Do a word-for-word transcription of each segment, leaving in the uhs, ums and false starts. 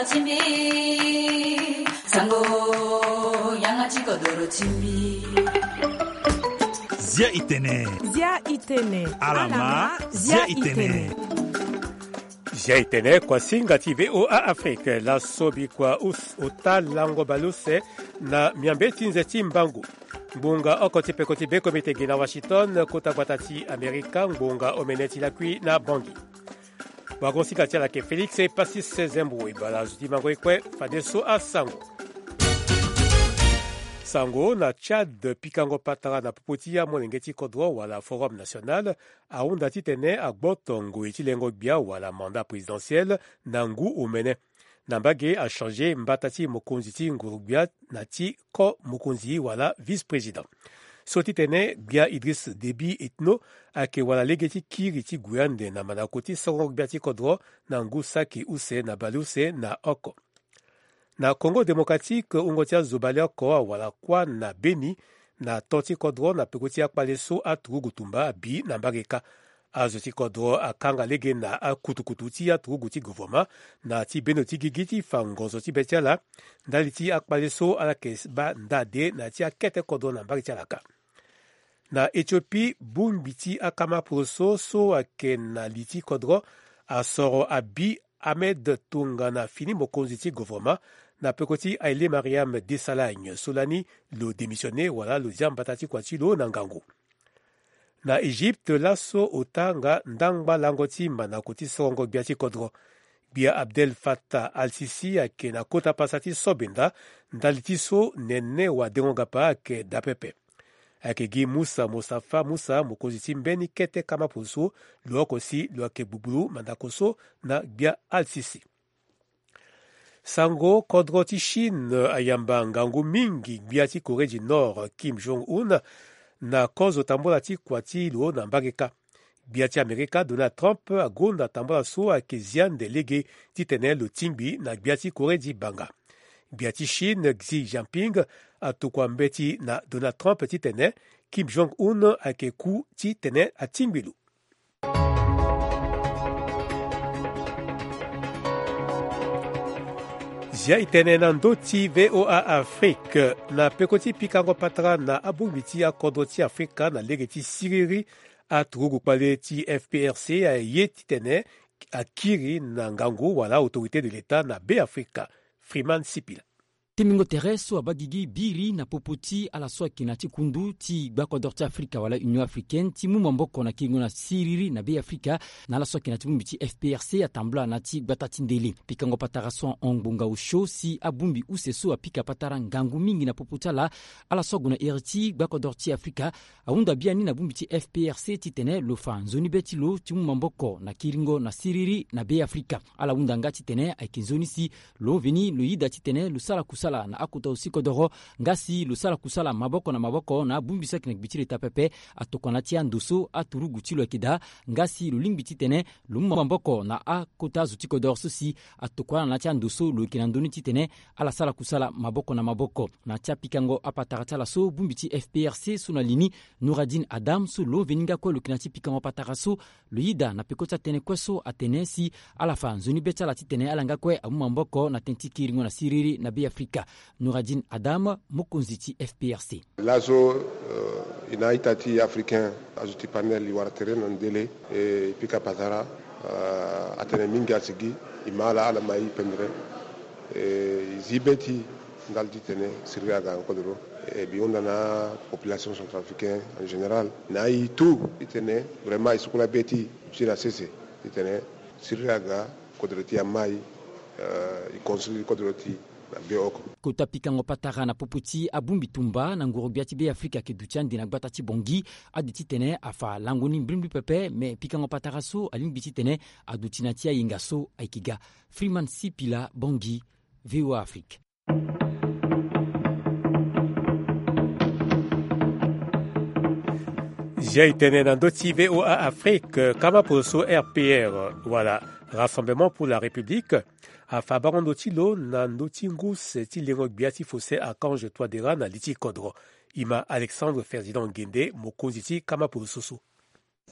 Timbi, sango, yanga ti kodoro timbi. Zia itene. Zia itene. Alama, zia itene. Zia itene, kuasinga ti V O A Afrique, laso bikua us-, ota lango baleuse na miambe ti nze ti mbangu. Ngbonga oko ti peko ti bekomite gi na Washington, kota gbata ti Amerika, ngbonga omene ti lakui na Bangui. Wagosinga ti ala yeke Félix Passis Zembo, e bale azo ti mango e kue fadeso asango. Sango na Tchad, pikango patara na popo ti amolenge ti kodro wala Forum National ahunda titene agboto ngoi ti lengo gbia wala mandat présidentiel na ngu omene. Na mbage achange mbata ti mokonzi ti nguru-gbia na ti ko mokonzi wala vice-président. So titene gbia Idriss Déby Itno ayeke wara lege ti kiri ti gue ande na mandako ti songo gbia ti kodro na ngu saki use na baleuse na oko. Na Congo Démocratique, wungo ti azo baleoko awara kuâ na Beni na to ti kodro na peko ti akpale so aturugu tumba abi na mbage kâ. Azo ti kodro akanga lege na akutukutu ti aturugu ti gouvernement na ti bendo ti gigi ti fa ngonzo ti be ti ala ndali ti akpale so ala yeke baa nda de na ya ti akete kodro na mbage ti ala kâ. Na Éthiopie, bongbi ti akama poroso so ayeke na li ti kodro asoro abi Ahmed tongana fini mokonzi ti gouvernement na peko ti Haile Mariam Desalegn so lani lo démissionné wala lo zia mbata ti kua ti lo na ngangu. Na Égypte, laso ota nga ndangba lango ti mandako ti sorongo gbia ti kodro. Gbia Abdel Fattah al-Sisi ayeke na kota pasa ti sobenda ndali ti so nene wadengo-gapa ayeke daa pepe. Ayeke gi Musa Mustafa Musa, mokonzi ti mbeni kete kama poroso, lo oko si lo yeke gbugbulu mandako so na gbia al-Sisi. Sango, kodro ti Chine ayamba ngangu mingi gbia ti Corée du Nord Kim Jong-un na kozo tambola ti kua ti lo na mbage kâ. Gbia ti Amerika Donald Trump agonda tambola so ayeke zia nde lege titene lo tingbi na gbia ti Corée ti banga. Gbia ti Chine Xi Jinping atokua mbeti na Donald Trump titene Kim Jong-un ayeke ku titene atingbi lo. Zia itene na ndö ti V O A Afrique, na peko ti pikango patara na abongbi ti akodro ti Afrika na lege ti siriri, aturugu kpale ti F P R C aye titene akiri na ngangu wala autorité de l'État na Be Afrika. Freeman Sipila. Timbingo tere so abaa gigi biri na popo ti ala so ayeke na ti kundu ti gbakodoro ti Afrika wala Union Africaine ti mu maboko na kiringo na siriri na Be Afrika, na ala so ayeke na ti bongbi ti F P R C atambula na ti gbata ti ndele. Pikango patara so ahon ngbonga osio si abongbi use so apika patara ngangu mingi na popo ti ala, ala so ague na iri ti gbakodoro ti Afrika, ahunda biani na bongbi ti F P R C titene lo fa nzoni be ti lo ti mu maboko na kiringo na siriri na Be Afrika. Ala hunda nga titene ayeke nzoni si lo veni lo yida titene lo sara kusala na akota zo ti kodoro, nga si lo sara kusala maboko na maboko na abongbi so ayeke na gbe ti leta pepe, atokua na ya ti ando so aturugu ti lo ayeke daa, nga si lo lingbi titene lo mu maboko na akota zo ti kodoro so si atokua na ya ti ando so lo yeke na ndö ni titene ala sara kusala maboko na maboko. Na ya ti apikango apatara ti ala so, bongbi ti F P R C so na li ni, Nouradine Adam so lo veni nga kue lo yeke na ya ti pikango apatara so, lo yida na peko ti atënë kue so atene si ala fa nzoni be ti ala titene ala nga kue amu maboko na tënë ti kiringo na siriri na Be Afrika. Nouradine Adam, mokonzi ti F P R C. Laso, eh, e na a-ita ti africain, azo ti panel, e wara tere na ndele, e pika patara, eh, atene mingi asigi, e ma ala, ala ma e pendre, e zi be ti ndali titene siriri aga na kodoro. E mbi hunda na apopulation centrafricaine en général na e tout titene vraiment e sukula be ti e ti na sese titene siriri aga, kodro ti e ama e, eh, e construire kodro ti e na be oko. Kota pikango patara na popo ti abongbi tumba na nguru-gbia ti Be Afrika ayeke duti ande na gbata ti Bangui. Ade titene afa lango ni mbrimbri pepe, me pikango patara so alingbi titene aduti na ya ti ayenga so ayeke ga. Freeman Sipila, Bangui, V O A Afrique. Zia e tene na ndö ti V O A Afrique, kama poroso R P R, wala Rassemblement pour la République, afa bango ndo ti lo na ndö ti ngu use ti lengo gbia ti Faustin Archange Touadéra na li ti kodro. E ma Alexandre Ferdinand Nguende, mokonzi ti kama poroso so.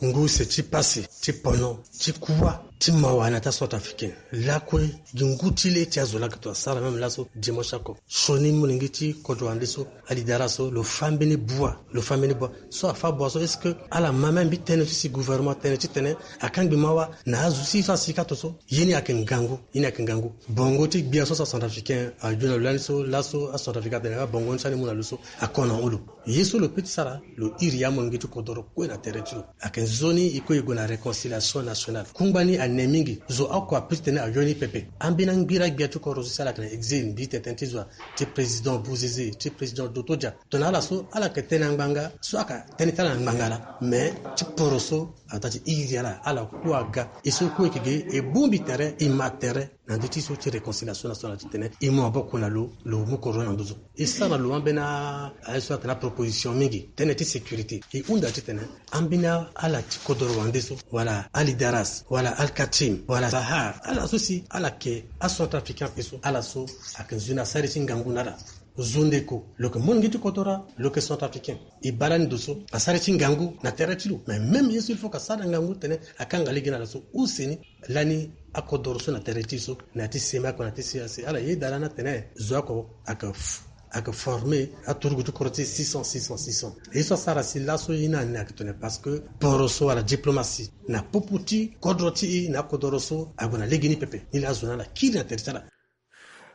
Ngu use ti pasi, ti pono, ti kuâ, ti mawa na ya ti acentrafricain. Lakue gi ngu ti le ti azo laa ake to asara même laso dimanche oko. Sioni molenge ti kodro wande so, alidara so lo fâ mbeni bua, lo fâ mbeni bua. So afâ bua so est-ce que ala ma même mbi tënë ti si gouvernement tënë titene akangbi mawa na azo si so asi ka to so? Ye ni ayeke ngangu, ye ni ayeke ngangu. Bongo ti gbia so so acentrafricain ague na lo lani so laso acentrafricain atene abongo ni so ani mu na lo so ako na hon lo? Ye so lo pe ti sara, lo iri amolenge ti kodoro kue na tere ti lo. Ayeke nzoni e kue e gue na réconciliation nationale. Kungba ni ane mingi. Zo oko ape titene ayo ni pepe. Ambeni angbira gbia ti kodro so si ala yeke na exil, mbi tene tënë ti zo, ti président Bouzizi, ti président Dotodia. Tongana ala so ala yeke tene na ngbanga so, ayeke tënë ti ala na ngbanga laa. Mais ti poro so ataa ti iri ala, ala kue aga. E so kue e yeke ge, e bongbi tere, e ma tere na ndö ti so ti réconciliation nationale titene e mu maboko na lo, lo mu kodro na ndö so. E sara na lo ambeni a, aye so atene aproposition mingi, tënë ti sécurité. E hunda titene ambeni ala ti kodoro wande so, wala Alidaras, wala Alkatim, wala Sahar, ala so si ala yeke acentrafricain ape so, ala so ayeke nzoni asara ti ngangu na ala. Zo ndeko, lo yeke molenge ti kodoro, lo yeke centrafricain. E baa lani ndo so asara ti ngangu na tere ti lo. Mais même ye so il faut ke asara ngangu titene akanga lege na ala so use ni. Lani akodoro so na tere ti e so, na ya ti sema oko na ya ti sema si ala yeda lani atene zo oko ayeke f-, ayeke former aturugu ti kodro ti six cents, six cents, six cents. Ye so asara si laso ye ni ane ayeke tene parce que poro so wala diplomatie na popo ti kodro ti e na akodoro so ague na legeni pepe. Ni laa azo ni ala kiri na tere ti ala.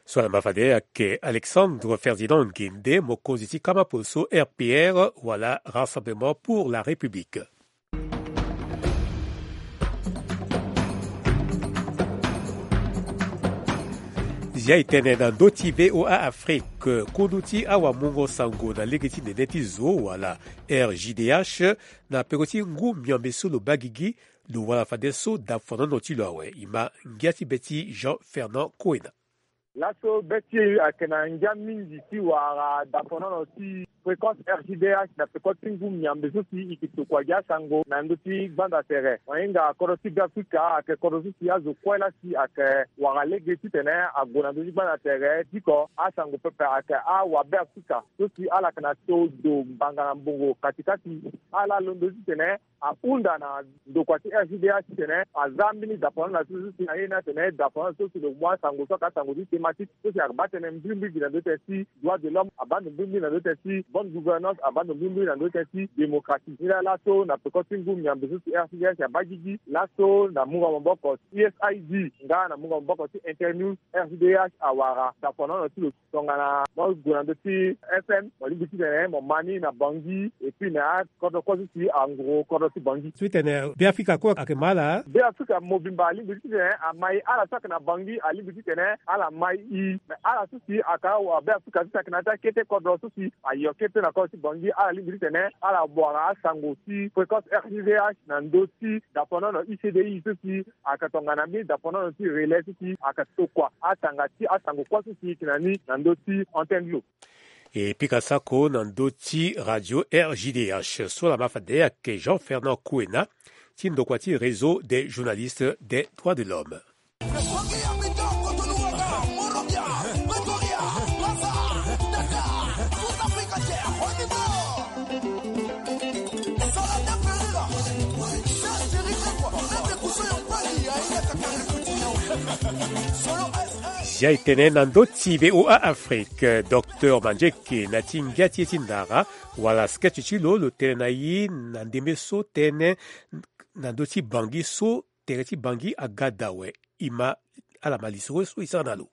So ala ma fade ayeke Alexandre Ferdinand Nguende, mokonzi ti kama polo so R P R wala Rassemblement pour la République. Zia e tene na ndö ti V O A Afrique, kundu ti awamungo sango na lege ti nene ti zo wala R J D H na peko ti ngu miambe so lo baa gigi, lo wara fadeso dafonono ti lo awe. E ma ngia ti be ti Jean Fernand Koena. Laso be ti e ayeke na ngia mingi ti wara dafonono ti Fréquence R J D H na peko ti ngu miambe so si e yeke tokua gi asango na ndö ti gbanda tere. Mo hinga kodro ti Beafrika ayeke kodro so si azo kue laa si ayeke wara lege titene ague na ndö ti gbanda tere. Diko asango pepe ayeke awabeafrika so si ala yeke na to do mbanga na mbongo katikati. Ala londo titene ahunda na ndokua ti R J D H titene aza mbeni dapono na so si aye ni atene dapono so si lo mu asango so ayeke asango ti thématique so si abaa tënë mbrimbri gi na ndö tënë ti droit de l'homme, abaa ndo mbrimbri na ndö tënë ti bonne gouvernance, abaa ndo mbrimbri na ndö tënë ti démocratie. Ni laa laso na peko ti ngu miambe so si R J D H abaa gigi laso na mungo maboko ti U S A I D nga na mungo maboko ti Internews, R J D H awara dapono na ti lo. Tongana mo gue na ndö ti F M, mo lingbi titene mo ma ni na Bangui, et puis na akodro kue so si anguru kodro ti Bangui. So ti tene Beafrika kue ayeke ma ala? Beafrika mobimba alingbi titene ama e. Ala so ayeke na Bangui alingbi titene ala ma e. Mais ala so si ayeke awabeafrika so si ayeke na ya ti akete kodro so si ayo kete na kodro ti Bangui, ala lingbi titene ala wara asango ti Fréquence R J D H na ndö ti dapono na U C D I so si ayeke tongana mbeni dapono na ndö ti relais so si ayeke tokua atanga ti asango kue so si e yeke na ni na ndö ti antenne ti lo. E pika sako na ndö ti radio R J D H so ala ma fade ayeke Jean Fernand Koena ti ndokua ti Réseau des journalistes des droits de l'homme. Zia e tene na ndö ti V O A Afrique, Docteur Mandieke na ti ngia ti e ti ndara wala sketch ti lo, lo tene na e na ndembe so tënë na ndö ti Bangui so tere ti Bangui aga daa awe. E ma ala ma lisoro so e sara na lo.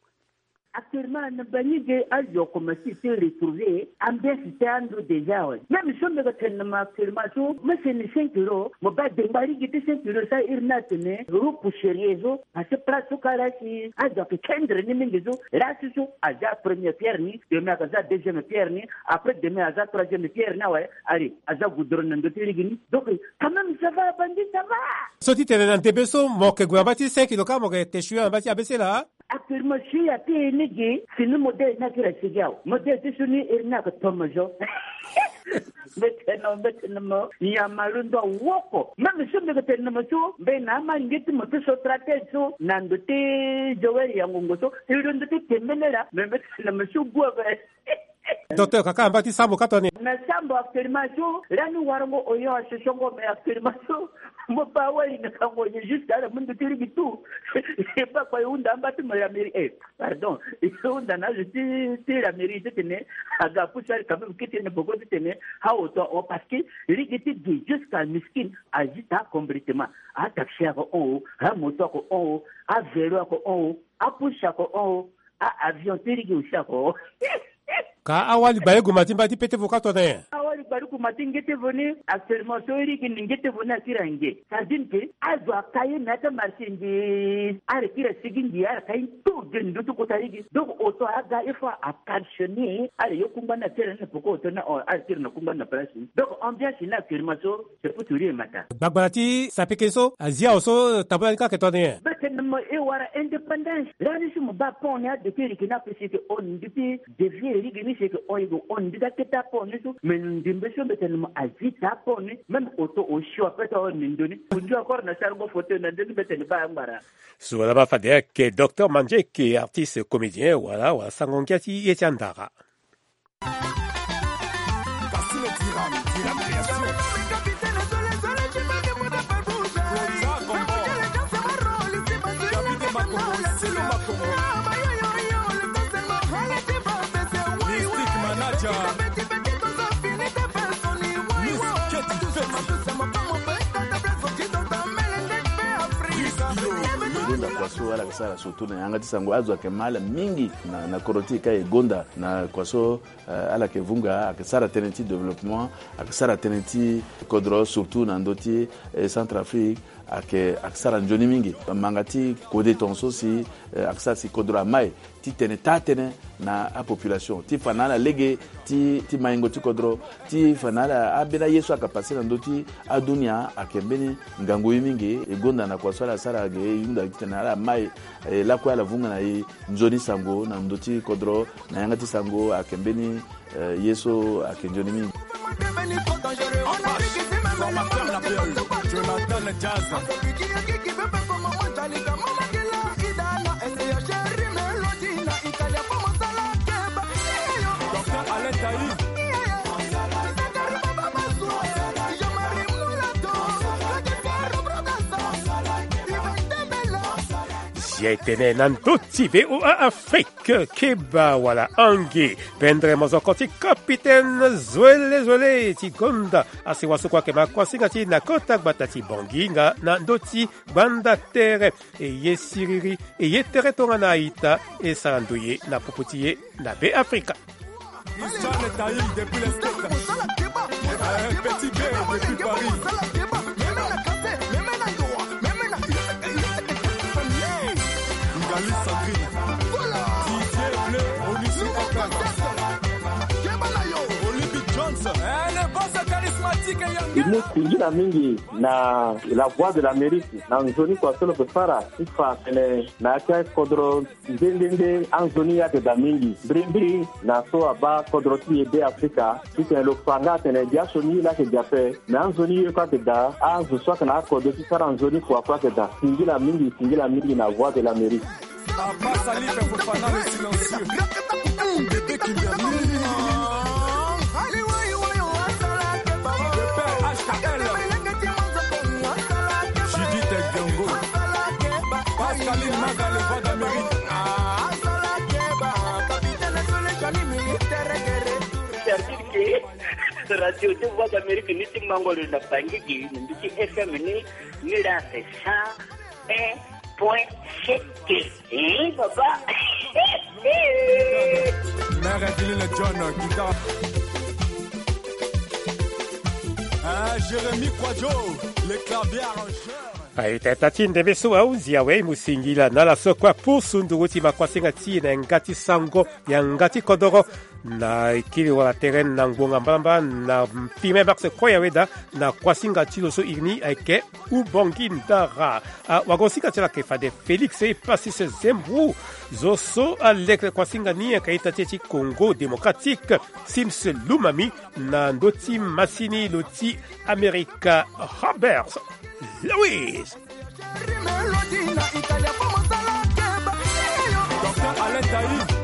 Actuellement na Bangui ge azo akomanse ti retrouver ambiance ti ando déjà awe. Même so mbi yeke tene na mo actuellement so mo seni cinq euros, mo baa dengba lege ti cinq euros so airi ni atene euro pour sérieux so. Parce que place so kara si azo ayeke kendre ni mingi so, laa si so aza première pierre ni, demain ayeke aza deuxième pierre ni, après demain aza troisième pierre ni awe. Allez, aza goudron na ndö ti lege ni. Donc quand même ça va, Bangui ça va. So ti tene na ndembe so mo yeke gue na mbage ti cinq euros ka mo yeke te sui na mbage ti A B C laa? Actuellement si ape lege si ni modèle ni akiri asigi awe. Modèle ti so ni iri ni ayeke tomo zo. Mbi tene mo, mbi tene mo, nyama londo awoko. Même so mbi yeke tene na mo so, mbi na amalenge ti mo ti so stratège so na ndo ti Joël Yangongo so, e londo ti tembele laa, mais mbi tene na mo so gue ape. Docteur, kaka amba ti sambo ka toni. Na sambo actuellement so lani warango oyo asosongo, mais actuellement so mo ba wali na kango ye juste ala mundu ti ligi tout. E ba kpa e hunda amba ti mo ya mairie, eh, pardon, e hunda na azo ti ti la mairie titene aga pusu ali quand même kiti ne boko titene aoto o, parce que ligi ti gi jusqu'à Miskin, azita complètement. Ataxi ako on o, amoto ako on o, avelo ako on o, apusu ako on o, a avion ti ligi aussi ako on o. Ka awali baleuguma ti mba ti pete vo ka tona nyen? Awali baleuguma ti nge ti vo ni, actuellement so e ligi ni nge ti vo ni akiri ange. Ça veut dire que azo aka ye me ata marché nge, ala kiri asigi nge, ala ka ye tout de ndo ti kota ligi. Donc oto aga il faut a calctionner, ala ye kungba ni akiri ni poko oto ni, ala kiri na kungba ni na place ni. Donc ambiance ni actuellement so c'est pour tout le matin. Gbagbala ti sapeke so azia awe so tabula ni ka ke toni nyen? Mbetene mo e wara indépendance. Lani si mo ba pont ni adekeri ke ni ape si ke on nduti dévier ligi ni si ke on yego on nduti akete apont ni so. Mais ndembe so mbetene mo azi ta apont ni. Même oto osio ape ta on ni ndoni. Ondio encore na sarango fauteuil na ndoni mbetene ba angbara. So wala ba fade ake docteur Mandjeke, artiste comédien, wala wala sango ngia ti ye ti andara. Linda Kwaso ala ke sara surtout na yanga ti sango, azo ayeke ma ala mingi na, na kodro ti e ka e gonda na Kwaso. Euh, ala yeke vunga, ayeke sara tënë ti développement, ayeke sara tënë ti kodro, surtout na ndö ti, eh, Centrafrique, ayeke, ayeke sara nzoni mingi. Manga ti kode tongaso si, eh, ayeke sara si kodro amai ti tene taa-tënë na apopulation ti fa na ala lege ti, ti maingo ti kodro, ti fa na ala ambeni aye so ayeke pase na ndö ti adunia, ayeke mbeni ngangu ye mingi. E gonda na kua so ala sara ge, e hunda titene ala mai, eh, lakue ala vunga na e nzoni sango na ndö ti kodro. Na yanga ti sango ayeke mbeni, eh, ye so ayeke nzoni mingi. Zia e tene na ndö ti V O A Afrique. Ke, keba wala ange. Pendre mozoko ti capitaine Zoele Zoele ti gonda asi wasukua ke ma kuasinga ti na kota gbata ti Bangui nga na ndö ti gbanda tere. E ye siriri, e ye tere tongana a-ita, e sara ndoye na popo ti e na Be Afrika. Christian Taï depuis les States. Euh, Petit B depuis Paris. Ngali Sandrine. Didier Bleu, Onusi F M. Olympic Jones. Eh, le boss charismatique. Imo singila mingi na La Voix de l'Amérique. Na nzoni kua so lo ke fara ti fa tene na ya ti akodro. Nde nde nde anzoni ayeke daa mingi mbirimbiri na so abaa kodro ti e Be Afrika. Titene lo fa nga atene biaso ni laa ayeke daa ape. Me anzoni ye kue ayeke daa, azo so ayeke na akodro ti sara nzoni kua kue ayeke daa. Singila mingi, singila mingi na Voix de l'Amérique. Abba Salif Fofana le silencieux. Bébé Kimberly. Le père H K L. Judith Diongo. Pascaline Maga, le Voix d'Amérique. C'est-à-dire que radio de Voix d'Amérique ni ti mango lo na Bangui gi, ni ti F M ni, ni la c'est cent un point sept. Eh, papa. Mère Adeline John, guitare. Ah, Jérémy Kwadjo, le clavier arrangeur. Aye, tata ti ndembe so ahundi awe, e mu singila na ala so kue apusu nduru ti ma kuasinga ti e na yanga ti sango, yanga ti kodoro. Na e kiri wala tere na ngbonga mbalambala na premier mars kue awe daa, na kuasinga ti lo so iri ni ayeke Ubangui Ndara. Ah, wagosinga ti ala ayeke fade Félix Epassis Zembro. Zo so aleke kuasinga ni ayeke a-ita ti e ti Congo Démocratique, Sims Lumami, na ndö ti masini lo ti Amerika, Robert Lewis. Docteur Alain Taï.